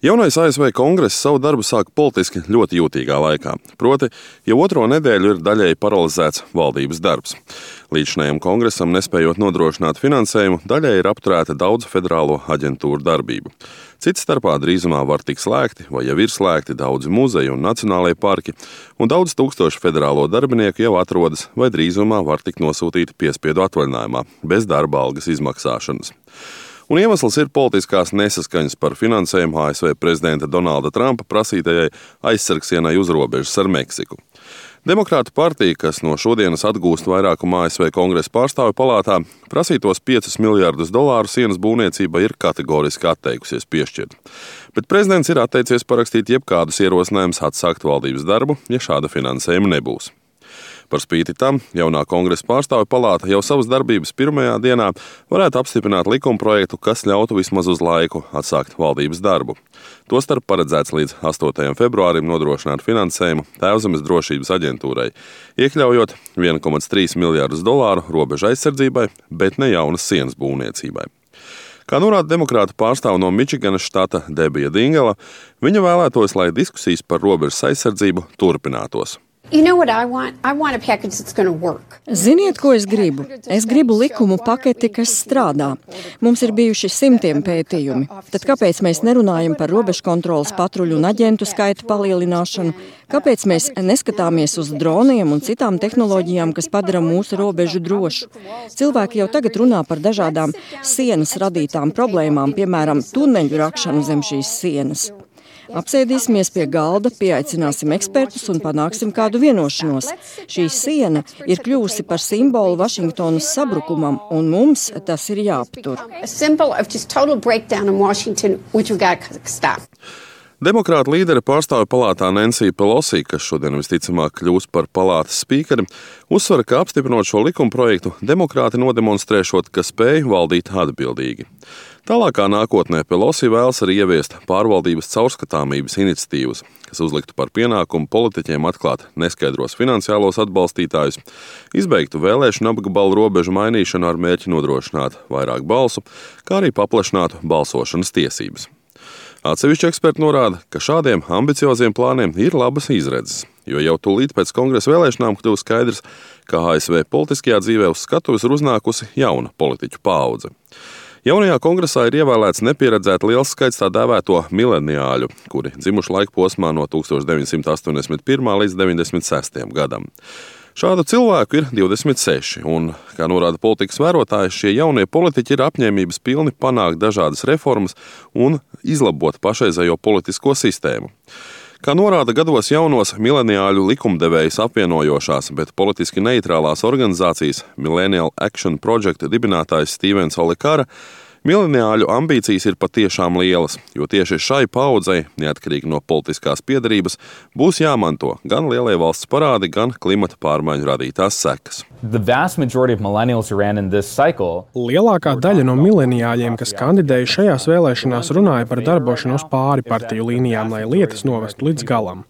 Jaunais ASV kongress savu darbu sāk politiski ļoti jūtīgā laikā. Proti, jau otro nedēļu ir daļēji paralizēts valdības darbs. Līdzinājam kongresam nespējot nodrošināt finansējumu, daļēji ir apturēta daudzu federālo aģentūru darbību. Cits starpā drīzumā var tikt slēgti vai jau ir slēgti daudzi muzeji un nacionālajie parki, un daudz tūkstoši federālo darbinieku jau atrodas vai drīzumā var tikt nosūtīti piespiedu atvaļinājumā, bez darba algas izmaksāšanas. Un iemesls ir politiskās nesaskaņas par finansējumu ASV prezidenta Donalda Trumpa prasītajai aizsargsienai uz robežas ar Meksiku. Demokrātu partija, kas no šodienas atgūst vairākumu ASV kongresa pārstāvju palātā, prasītos $5 miljardus sienas būvniecībai ir kategoriski atteikusies piešķirt. Bet prezidents ir atteicies parakstīt jebkādus ierosinājumus atsākt valdības darbu, ja šāda finansējuma nebūs. Par spīti tam, jaunā kongresa pārstāvju palāta jau savas darbības pirmajā dienā varētu apstiprināt likumprojektu, kas ļautu vismaz uz laiku atsākt valdības darbu. Tostarp paredzēts līdz 8. februārim nodrošināt finansējumu Tēvzemes drošības aģentūrai, iekļaujot $1,3 miljardus robežu aizsardzībai, bet ne jaunas sienas būvniecībai. Kā norāda demokrātu pārstāve no Mičiganas štata Debija Dingela, viņa vēlētos, lai diskusijas par robežas aizsardzību turpinātos. Ziniet, ko es gribu? Es gribu likumu paketi, kas strādā. Mums ir bijuši simtiem pētījumi. Tad kāpēc mēs nerunājam par robežkontroles patruļu un aģentu skaitu palielināšanu? Kāpēc mēs neskatāmies uz droniem un citām tehnoloģijām, kas padara mūsu robežu drošu? Cilvēki jau tagad runā par dažādām sienas radītām problēmām, piemēram, tuneļu rakšanu zem šīs sienas. Apsēdīsimies pie galda, pieaicināsim ekspertus un panāksim kādu vienošanos. Šī siena ir kļuvusi par simbolu Vašingtonas sabrukumam, un mums tas ir jāaptur. Demokrātu līdere pārstāvju palātā Nancy Pelosi, kas šodien visticamāk kļūs par palātas spīkeri, uzsver, ka apstiprinot šo likumprojektu, demokrāti nodemonstrēšot, ka spēj valdīt atbildīgi. Tālākā nākotnē Pelosi vēlas arī ieviest pārvaldības caurskatāmības iniciatīvas, kas uzliktu par pienākumu politiķiem atklāt neskaidros finansiālos atbalstītājus, izbeigtu vēlēšanu apgabalu robežu mainīšanu ar mērķi nodrošināt vairāk balsu, kā arī paplašinātu balsošanas tiesības. Atsevišķi eksperti norāda, ka šādiem ambicioziem plāniem ir labas izredzes, jo jau tūlīt pēc kongresa vēlēšanām kļuva skaidrs, ka ASV politiskajā dzīvē uz skatuves ir uznākusi jauna politiķu paudze. Jaunajā kongresā ir ievēlēts nepieredzēti liels skaits tā dēvēto mileniāļu, kuri dzimuši laika posmā no 1981. līdz 96. gadam. Šādu cilvēku ir 26, un, kā norāda politikas vērotāji, šie jaunie politiķi ir apņēmības pilni panākt dažādas reformas un izlabot pašreizējo politisko sistēmu. Kā norāda gados jaunos mileniāļu likumdevējus apvienojošās, bet politiski neitrālās organizācijas Millennial Action Project dibinātājs Stevens Olikara, mileniāļu ambīcijas ir patiešām lielas, jo tieši šai paudzei, neatkarīgi no politiskās piedarības, būs jāmanto gan lielie valsts parādi, gan klimata pārmaiņu radītās sekas. Lielākā daļa no mileniāļiem, kas kandidēja šajās vēlēšanās, runāja par darbošanos pāri partiju līnijām, lai lietas novestu līdz galam.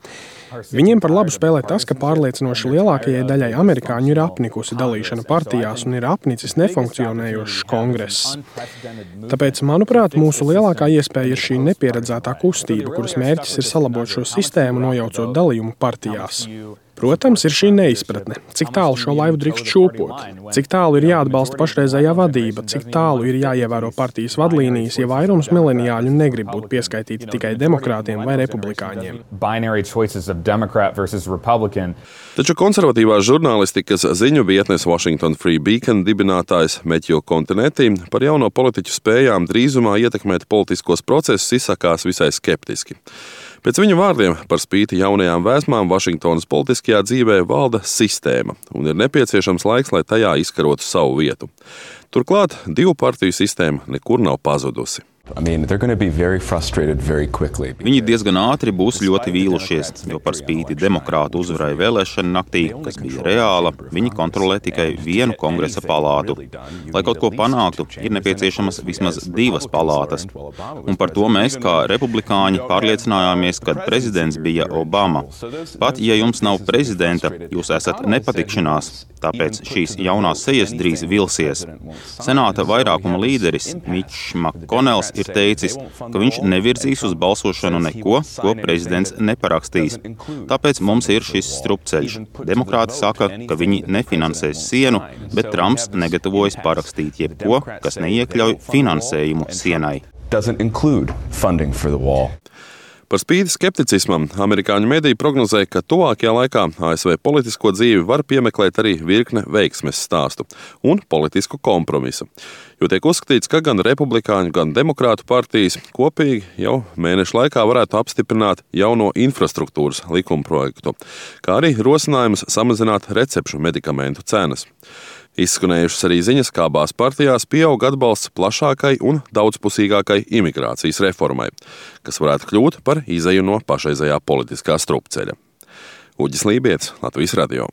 Viņiem par labu spēlē tas, ka pārliecinoši lielākajai daļai amerikāņu ir apnikusi dalīšana partijās un ir apnicis nefunkcionējošs kongress. Tāpēc, manuprāt, mūsu lielākā iespēja ir šī nepieredzētā kustība, kuras mērķis ir salabot šo sistēmu, nojaucot dalījumu partijās. Protams, ir šī neizpratne, cik tālu šo laivu drīkst šūpot, cik tālu ir jāatbalsta pašreizējā vadība, cik tālu ir jāievēro partijas vadlīnijas, ja vairums mileniāļu negrib būt pieskaitīti tikai demokrātiem vai republikāņiem. Taču konservatīvās žurnālistikas ziņu vietnes Washington Free Beacon dibinātājs Matthew Continetti par jauno politiķu spējām drīzumā ietekmēt politiskos procesus izsakās visai skeptiski. Pēc viņa vārdiem, par spīti jaunajām vēsmām, Vašingtonas politiskajā dzīvē valda sistēma un ir nepieciešams laiks, lai tajā izkarotu savu vietu. Turklāt divu partiju sistēma nekur nav pazudusi. Viņi diezgan ātri būs ļoti vīlušies, jo par spīti demokrātu uzvarai vēlēšanu naktī, kas bija reāla, viņi kontrolē tikai vienu kongresa palātu. Lai kaut ko panāktu, ir nepieciešamas vismaz 2 palātas. Un par to mēs, kā republikāņi, pārliecinājāmies, kad prezidents bija Obama. Pat, ja jums nav prezidenta, jūs esat nepatikšanās, tāpēc šīs jaunās sejas drīz vilsies. Senāta vairākuma līderis Mitchs McConnells ir teicis, ka viņš nevirzīs uz balsošanu neko, ko prezidents neparakstīs. Tāpēc mums ir šis strupceļš. Demokrāti saka, ka viņi nefinansēs sienu, bet Trumps negatavojas parakstīt jebko, kas neiekļauj finansējumu sienai. Par spīti skepticismam, amerikāņu mediji prognozē, ka tuvākajā laikā ASV politisko dzīvi var piemeklēt arī virkne veiksmes stāstu un politisku kompromisu. Jo tiek uzskatīts, ka gan republikāņu, gan demokrātu partijas kopīgi jau mēnešu laikā varētu apstiprināt jauno infrastruktūras likumprojektu, kā arī rosinājums samazināt recepšu medikamentu cenas. Izskanējušas arī ziņas, kā abās partijās pieaug atbalsts plašākai un daudzpusīgākai imigrācijas reformai, kas varētu kļūt par izeju no pašreizējā politiskā strupceļa. Uģis Lībijams, Latvijas radio.